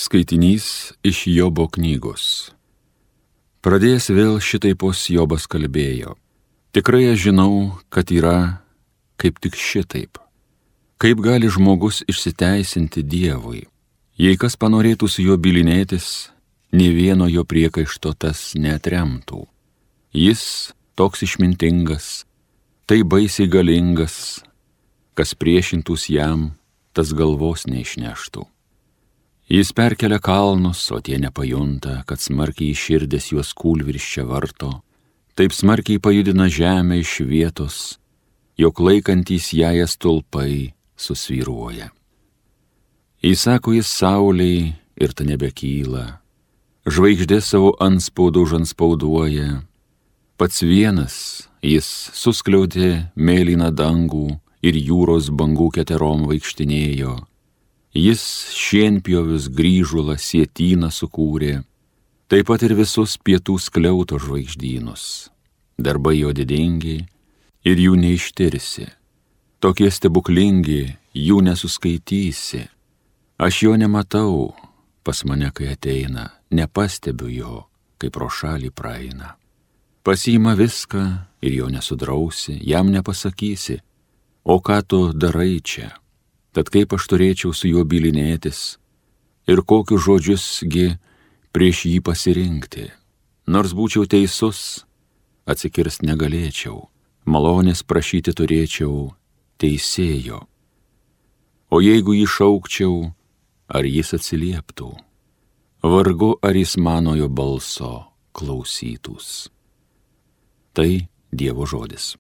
Skaitinys iš Jobo knygos. Pradėjęs vėl šitaipos Jobas kalbėjo. Tikrai aš žinau, kad yra kaip tik šitaip. Kaip gali žmogus išsiteisinti Dievui? Jei kas panorėtų su juo bylinėtis, nė vieno jo priekaišto tas neatremtų. Jis toks išmintingas, tai baisiai galingas, kas priešintus jam, tas galvos neišneštų. Jis perkelia kalnus, o tie nepajunta, kad smarkiai širdės juos kūlvirsčia varto, taip smarkiai pajudina žemę iš vietos, jog laikantys ją stulpai susvyruoja. Įsako jis saulei ir ta nebekyla, žvaigždė savo antspaudų užanspauduoja, pats vienas jis suskliaudė mėlyną dangų ir jūros bangų keterom vaikštinėjo. Jis šienpjovius grįžulą sietyną sukūrė, taip pat ir visus pietų skliauto žvaigždynus. Darbai jo didingi ir jų neištirsi. Tokie stebuklingi, jų nesuskaitysi. Aš jo nematau, pas mane kai ateina, nepastebiu jo, kai pro šalį praeina. Pasiima viską ir jo nesudrausi, jam nepasakysi, o ką tu darai čia? Tad kaip aš turėčiau su juo bylinėtis ir kokius žodžiusgi prieš jį pasirinkti. Nors būčiau teisus, atsikirst negalėčiau, malonės prašyti turėčiau teisėjo. O jeigu jį šaukčiau, ar jis atsilieptų? Vargu ar jis manojo balso klausytųs. Tai Dievo žodis.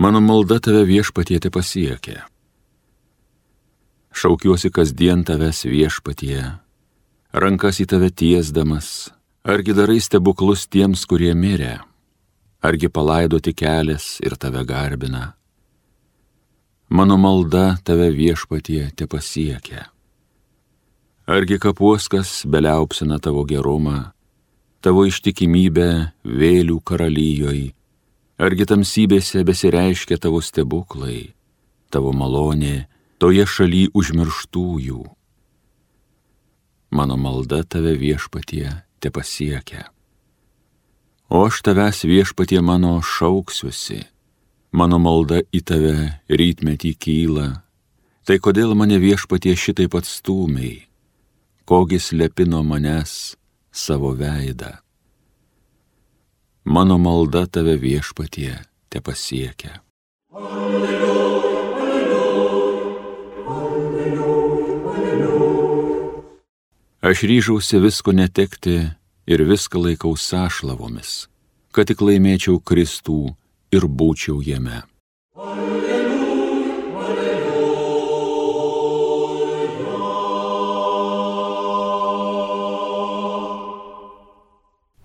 Mano malda tave viešpatie pasiekia. Šaukiuosi kasdien tavęs viešpatie, rankas į tave tiesdamas, argi darai stebuklus tiems, kurie mirė, argi palaidoti kelias ir tave garbina. Mano malda tave viešpatie pasiekia. Argi kapuoskas beliaupsina tavo gerumą, tavo ištikimybę vėlių karalijoj, argi tamsybėse besireiškia tavo stebuklai, tavo malonė toje šaly užmirštųjų. Mano malda tave viešpatie pasiekia. O aš tavęs viešpatie mano šauksiuosi, mano malda į tave rytmetį kyla, tai kodėl mane viešpatie šitaip atstūmei, kogi slepi nuo manęs savo veidą. Mano malda tave viešpatie pasiekia. Alleluja, alleluja, alleluja, alleluja. Aš ryžausi visko netekti ir viską laikau sąšlavomis, kad tik laimėčiau Kristų ir būčiau jame. Alleluja, alleluja.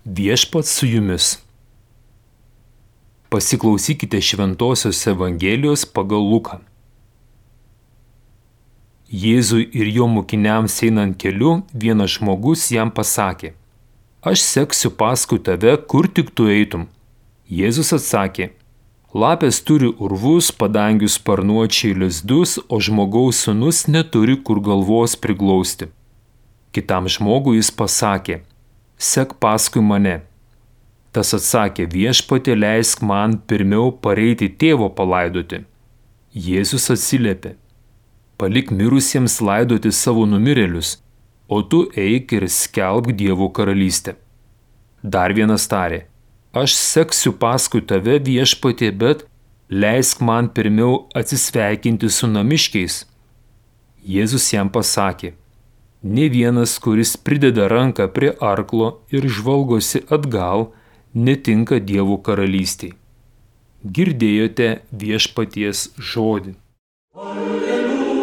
Viešpats su jumis. Pasiklausykite Šventosios Evangelijos pagal Luką. Jėzui ir jo mokiniams einant keliu, vienas žmogus jam pasakė: Aš seksiu paskui tave, kur tik tu eitum. Jėzus atsakė: Lapės turi urvus, padangių sparnuočiai lizdus, o žmogaus sūnus neturi kur galvos priglausti. Kitam žmogui jis pasakė: Sek paskui mane. Tas atsakė: Viešpatie, leisk man pirmiau pareiti tėvo palaidoti. Jėzus atsiliepė: Palik mirusiems laidoti savo numirėlius, o tu eik ir skelbk Dievo karalystę. Dar vienas tarė: Aš seksiu paskui tave, viešpatie, bet leisk man pirmiau atsisveikinti su namiškiais. Jėzus jam pasakė: Nė vienas, kuris prideda ranką prie arklo ir žvalgosi atgal, netinka Dievo karalystiai. Girdėjote viešpaties žodį. Alleluja, alleluja.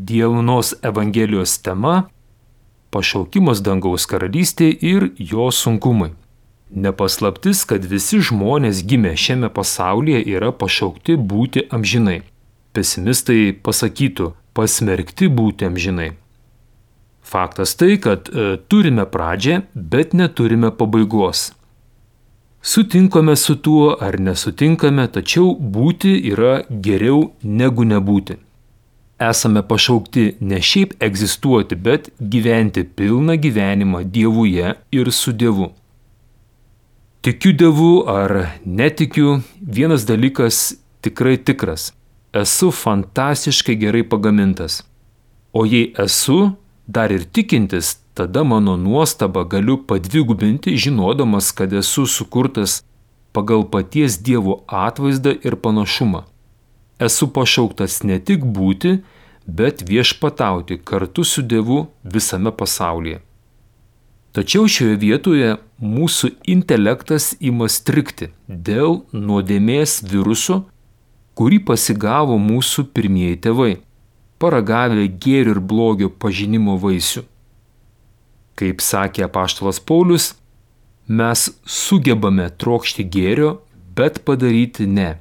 Dienos Evangelijos tema pašaukimas dangaus karalystė ir jo sunkumai. Nepaslaptis, kad visi žmonės gimę šiame pasaulyje yra pašaukti būti amžinai. Pesimistai pasakytų, pasmerkti būti amžinai. Faktas tai, kad turime pradžią, bet neturime pabaigos. Sutinkame su tuo ar nesutinkame, tačiau būti yra geriau negu nebūti. Esame pašaukti ne šiaip egzistuoti, bet gyventi pilną gyvenimą Dievuje ir su Dievu. Tikiu Dievu ar netikiu, vienas dalykas tikrai tikras. Esu fantastiškai gerai pagamintas. O jei esu dar ir tikintis, tada mano nuostabą galiu padvigubinti, žinodamas, kad esu sukurtas pagal paties Dievo atvaizdą ir panašumą. Esu pašauktas ne tik būti, bet viešpatauti kartu su Dievu visame pasaulyje. Tačiau šioje vietoje mūsų intelektas ima strigti dėl nuodėmės viruso, kurį pasigavo mūsų pirmieji tėvai, paragavę gėrio ir blogio pažinimo vaisių. Kaip sakė apaštalas Paulius, mes sugebame trokšti gėrio, bet padaryti ne.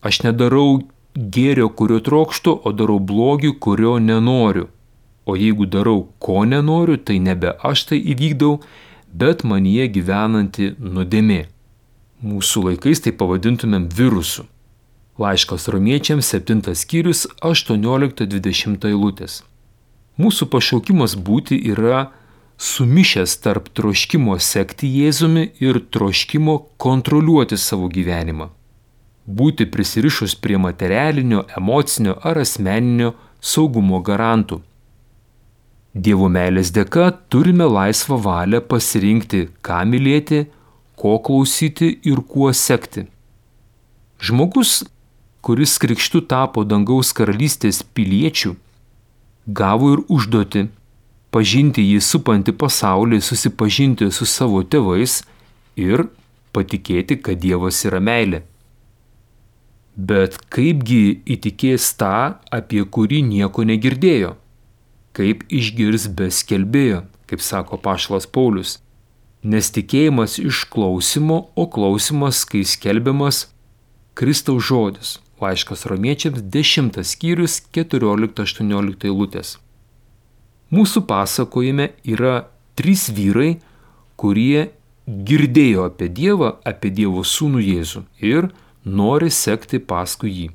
Aš nedarau gėrio, kurio trokštu, o darau blogį, kurio nenoriu. O jeigu darau, ko nenoriu, tai nebe aš tai įvykdau, bet manyje gyvenanti nuodėmė. Mūsų laikais tai pavadintumėm virusu. Laiškas Romiečiams 7 skyrius 18-20 eilutės. Mūsų pašaukimas būti yra sumišęs tarp troškimo sekti Jėzumi ir troškimo kontroliuoti savo gyvenimą. Būti prisirišus prie materialinio, emocinio ar asmeninio saugumo garantų. Dievo meilės dėka turime laisvą valią pasirinkti, ką mylėti, ko klausyti ir kuo sekti. Žmogus, kuris krikštu tapo dangaus karalystės piliečių, gavo ir užduotį pažinti jį supantį pasaulį, susipažinti su savo tėvais ir patikėti, kad Dievas yra meilė. Bet kaipgi įtikės tą, apie kurį nieko negirdėjo? Kaip išgirs be skelbėjo, kaip sako apaštalas Paulius. Nes tikėjimas iš klausimo, o klausimas, kai skelbiamas Kristaus žodis. Laiškas Romiečiams 10 skyrius 14-18 eilutės. Mūsų pasakojime yra 3 vyrai, kurie girdėjo apie Dievą, apie Dievo sūnų Jėzų ir nori sekti paskui jį.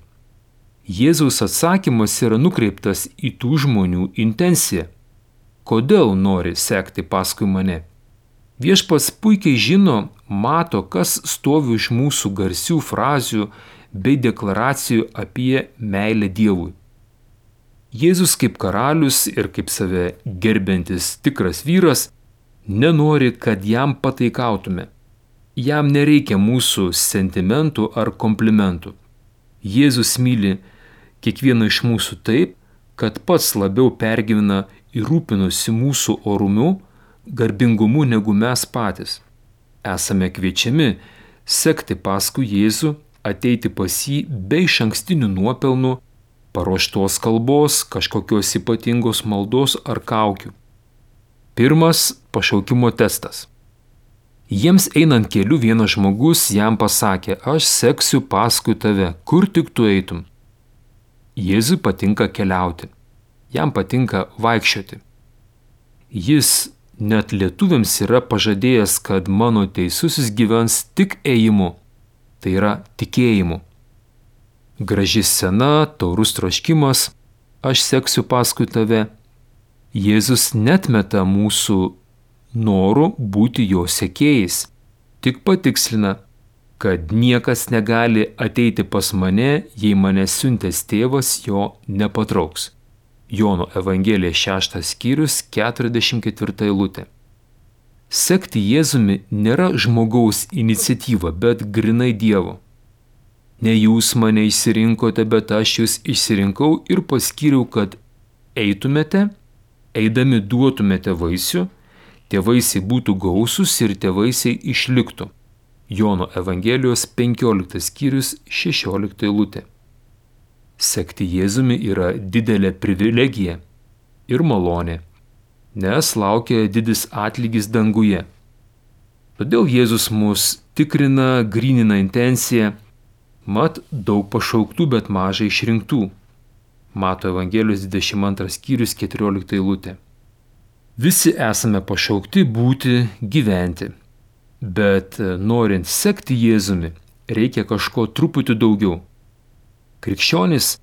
Jėzaus atsakymas yra nukreiptas į tų žmonių intenciją. Kodėl nori sekti paskui mane? Viešpats puikiai žino, mato, kas stovi iš mūsų garsių frazių bei deklaracijų apie meilę Dievui. Jėzus kaip karalius ir kaip save gerbiantis tikras vyras nenori, kad jam pataikautume. Jam nereikia mūsų sentimentų ar komplimentų. Jėzus myli kiekvieną iš mūsų taip, kad pats labiau pergyvena ir rūpinosi mūsų orumu, garbingumu negu mes patys. Esame kviečiami sekti paskui Jėzų, ateiti pas jį be išankstinių nuopelnų, paruoštos kalbos, kažkokios ypatingos maldos ar kaukių. Pirmas pašaukimo testas. Jiems einant keliu vienas žmogus jam pasakė, aš seksiu paskui tave, kur tik tu eitum. Jėzui patinka keliauti, jam patinka vaikščioti. Jis net lietuviams yra pažadėjęs, kad mano teisusis gyvens tik ėjimu, tai yra tikėjimu. Graži scena, taurus troškimas, aš seksiu paskui tave. Jėzus netmeta mūsų norų būti jo sekėjais, tik patikslina, kad niekas negali ateiti pas mane, jei mane siuntęs tėvas jo nepatrauks. Jono Evangelija 6 skyrius 44 eilutė. Sekti Jėzumi nėra žmogaus iniciatyva, bet grinai Dievo. Ne jūs mane išsirinkote, bet aš jūs išsirinkau ir paskyriau, kad eitumėte, eidami duotumėte vaisių, tie vaisiai būtų gausūs ir tie vaisiai išliktų. Jono Evangelijos 15 skyrius 16 eilutė. Sekti Jėzumi yra didelė privilegija ir malonė. nes laukia didis atlygis danguje. Todėl Jėzus mus tikrina, grynina intenciją, mat daug pašauktų, bet mažai išrinktų. Mato Evangelijos 22 skyrius 14 eilutė. Visi esame pašaukti būti, gyventi, bet norint sekti Jėzumi, reikia kažko truputį daugiau. Krikščionis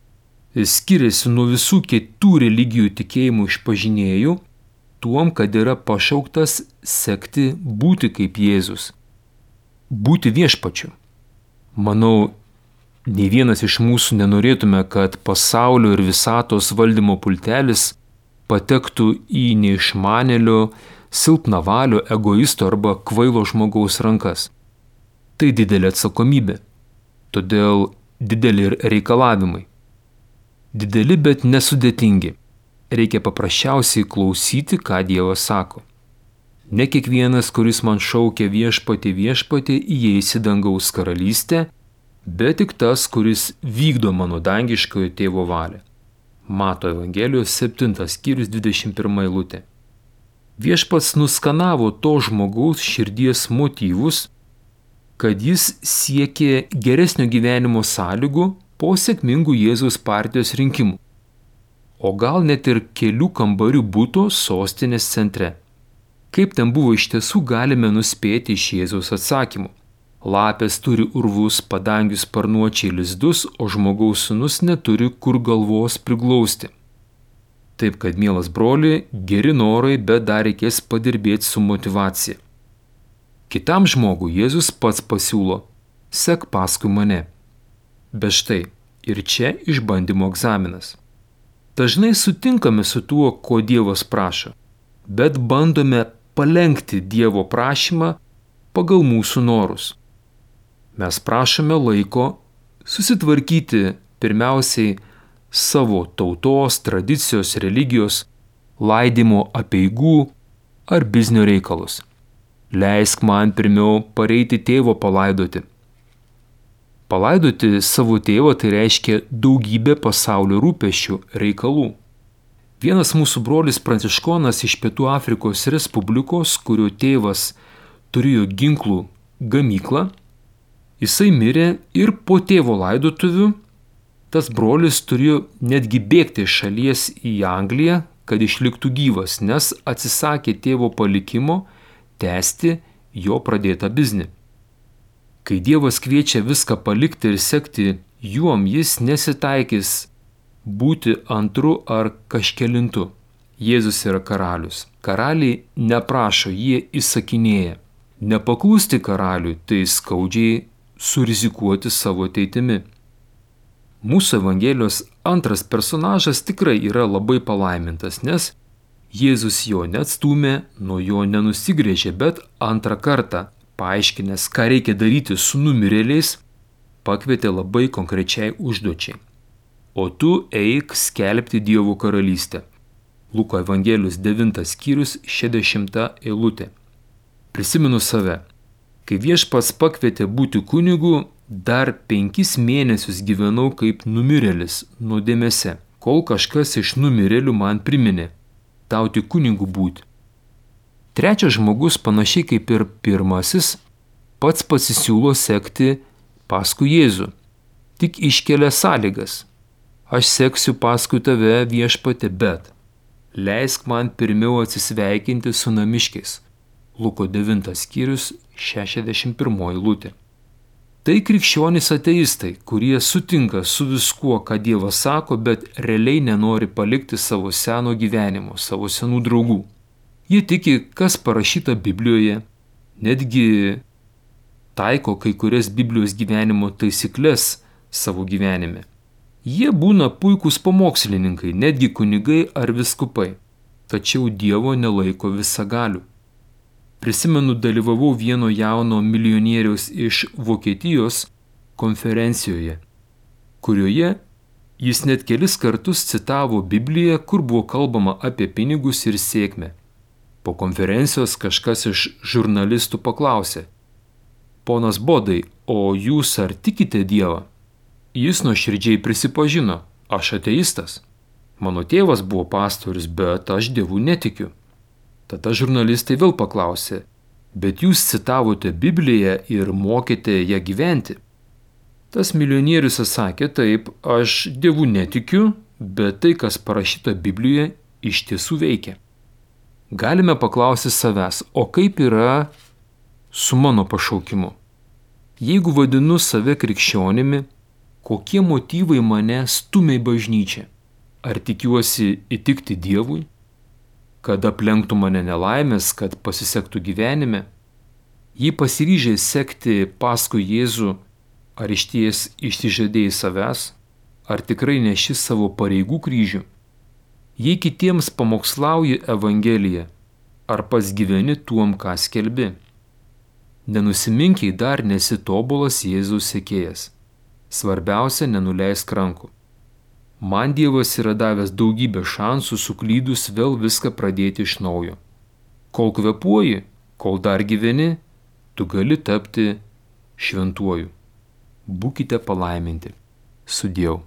skiriasi nuo visų kitų religijų tikėjimų išpažinėjų tuom, kad yra pašauktas sekti, būti kaip Jėzus, būti viešpačiu. Manau, nei vienas iš mūsų nenorėtume, kad pasaulio ir visatos valdymo pultelis patektų į neišmanėlio, silpnavalio, egoisto arba kvailo žmogaus rankas. Tai didelė atsakomybė, todėl dideli ir reikalavimai. Dideli, bet nesudėtingi. Reikia paprasčiausiai klausyti, ką Dievas sako. Ne kiekvienas, kuris man šaukia viešpatie, viešpatie, įeis į dangaus karalystę, bet tik tas, kuris vykdo mano dangiškojo tėvo valią. Mato Evangelijos 7 skyrius 21 eilutė. Viešpats nuskanavo to žmogaus širdies motyvus, kad jis siekė geresnio gyvenimo sąlygų po sėkmingų Jėzaus partijos rinkimų, o gal net ir kelių kambarių buto sostinės centre. Kaip ten buvo iš tiesų, galime nuspėti iš Jėzaus atsakymų. Lapės turi urvus, padangių sparnuočiai lizdus, o žmogaus sūnus neturi kur galvos priglausti. Taip kad, mielas broli, geri norai, bet dar reikės padirbėti su motyvacija. Kitam žmogui Jėzus pats pasiūlo: sek paskui mane. Bet štai, ir čia išbandymo egzaminas. Dažnai sutinkame su tuo, ko Dievas prašo, bet bandome palenkti Dievo prašymą pagal mūsų norus. Mes prašome laiko susitvarkyti pirmiausiai savo tautos, tradicijos, religijos, laidimo apeigų ar biznio reikalus. Leisk man pirmiau pareiti tėvo palaidoti. Palaidoti savo tėvą tai reiškia daugybę pasaulio rūpesčių, reikalų. Vienas mūsų brolis pranciškonas iš Pietų Afrikos Respublikos, kurio tėvas turėjo ginklų gamyklą, jisai mirė ir po tėvo laidotuvių tas brolis turėjo netgi bėgti iš šalies į Angliją, kad išliktų gyvas, nes atsisakė tėvo palikimo tęsti jo pradėtą biznį. Kai Dievas kviečia viską palikti ir sekti juom, jis nesitaikys būti antru ar kažkelintu. Jėzus yra karalius. Karaliai neprašo, jie įsakinėja. Nepaklusti karaliui, tai skaudžiai surizikuoti savo ateitimi. Mūsų Evangelijos antras personažas tikrai yra labai palaimintas, nes Jėzus jo neatstūmė, nuo jo nenusigrėžė, bet antrą kartą, paaiškinęs, ką reikia daryti su numirėliais, pakvietė labai konkrečiai užduočiai. O tu eik skelbti Dievo karalystę. Luko Evangelijos 9 skyrius 60 eilutė. Prisimenu save. Kai Viešpats pakvietė būti kunigu, dar 5 mėnesius gyvenau kaip numirėlis nuodėmėse, kol kažkas iš numirėlių man priminė: tau tik kunigu būti. Trečias žmogus, panašiai kaip ir pirmasis, pats pasisiūlo sekti paskui Jėzų, tik iškelia sąlygas: aš seksiu paskui tave, viešpatie, bet leisk man pirmiau atsisveikinti su namiškiais. Luko 9 skyrius 61 eilutė. Tai krikščionys ateistai, kurie sutinka su viskuo, ką Dievas sako, bet realiai nenori palikti savo seno gyvenimo, savo senų draugų. Jie tiki, kas parašyta Biblijoje, netgi taiko kai kurias Biblijos gyvenimo taisyklės savo gyvenime. Jie būna puikūs pamokslininkai, netgi kunigai ar vyskupai, tačiau Dievo nelaiko visagaliu. Prisimenu, dalyvavau vieno jauno milijonieriaus iš Vokietijos konferencijoje, kurioje jis net kelis kartus citavo Bibliją, kur buvo kalbama apie pinigus ir sėkmę. Po konferencijos kažkas iš žurnalistų paklausė: ponas Bodai, o jūs ar tikite Dievą? Jis nuoširdžiai prisipažino: aš ateistas. Mano tėvas buvo pastorius, bet aš Dievu netikiu. Tada žurnalistai vėl paklausė, bet jūs citavote Bibliją ir mokėte ją gyventi. Tas milijonierius atsakė, taip, aš Dievu netikiu, bet tai, kas parašyta Biblijoje, iš tiesų veikia. Galime paklausti savęs, o kaip yra su mano pašaukimu? Jeigu vadinu save krikščionimi, kokie motyvai mane stumia į bažnyčią? Ar tikiuosi įtikti Dievui? Kad aplenktų mane nelaimės, kad pasisektų gyvenime? Jei pasiryžai sekti paskui Jėzų, ar išties išsižadėjai savęs, ar tikrai neši savo pareigų kryžių? Jei kitiems pamokslauji Evangeliją, ar pats gyveni tuom, ką skelbi? Nenusiminkiai dar nesi tobulas Jėzaus sekėjas. Svarbiausia, nenuleisk rankų. Man Dievas yra davęs daugybę šansų suklydus vėl viską pradėti iš naujo. Kol kvėpuoji, kol dar gyveni, tu gali tapti šventuoju. Būkite palaiminti. Sudieu.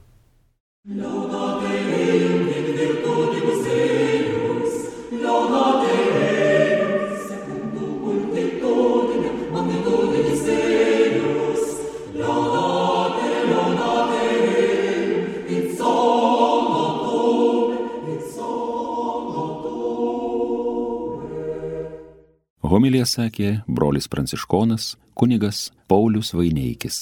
Homiliją sakė brolis pranciškonas kunigas Paulius Vaineikis.